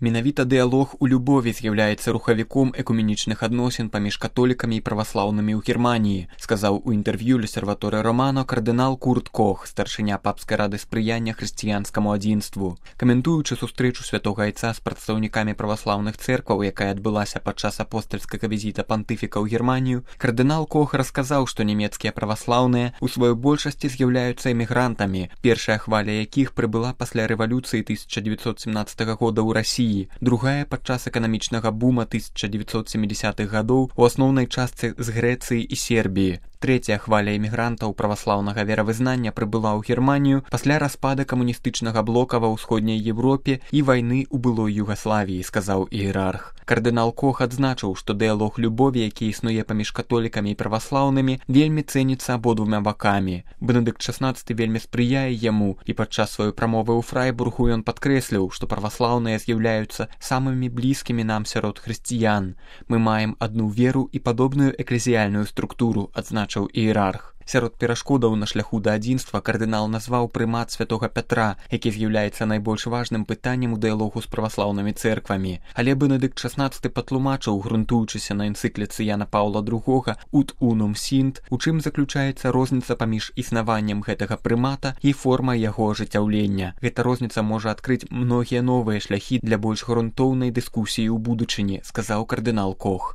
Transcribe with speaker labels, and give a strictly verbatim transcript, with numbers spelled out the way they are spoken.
Speaker 1: Менавіта дыялог у любові з'яўляецца рухавіком экуменічных адносін паміж католікамі і праваслаўнымі ў Германіі, сказаў у інтэрв'ю Л'Осерваторе Романо кардынал Курт Кох, старшыня папскай рады спрыяння хрысціянскаму адзінству. Каментуючы сустрэчу святога айца з прадстаўнікамі праваслаўных цэркваў, якая адбылася падчас апостальскага візіта пантыфіка ў Германію, кардынал Кох расказаў, што нямецкія праваслаўныя у сваёй большасці з'яўляюцца эмігрантамі, першая хваля якіх прыбыла пасля рэвалюцыі тысяча девятьсот семнадцатого года ў Расіі, другая падчас эканамічнага бума тысяча девятьсот семидесятых гадоў у асноўнай частцы з Грэцыі і Сербіі. Трэцяя хваля эмігрантаў праваслаўнага веравызнання прыбыла ў Германію пасля распада камуністычнага блока ва ўсходняй Европе і вайны ў былой Югаславіі, сказаў іерарх. Кардынал Кох адзначыў, што дыялог любові, які існуе паміж католікамі і праваслаўнымі, вельмі цэніцца абодвума бакамі. Бенедыкт шаснаццаты вельмі спрыяе яму, і падчас сваёй прамовы ў Фрайбургу ён падкрэсліў, што праваслаўныя з'яўляюцца самымі блізкімі нам сярод хрысціян. Мы маем адну веру і падобную эклезіяльную структуру, адзначыў іерарх. Сярод перашкодаў на шляху да адзінства кардынал назваў прымат святога Пятра, які з'яўляецца найбольш важным пытаннем у дыялогу з праваслаўнымі цэрквамі. Але Бенедыкт шаснаццаты патлумачыў, грунтуючыся на энцыкліцы Яна Паўла другога «Ut unum sint», у чым заключаецца розніца паміж існаваннем гэтага прымата і формай яго ажыццяўлення. Гэта розніца можа адкрыць многія новыя шляхі для больш грунтоўнай дыскусіі ў будучыні, сказаў кардынал Кох.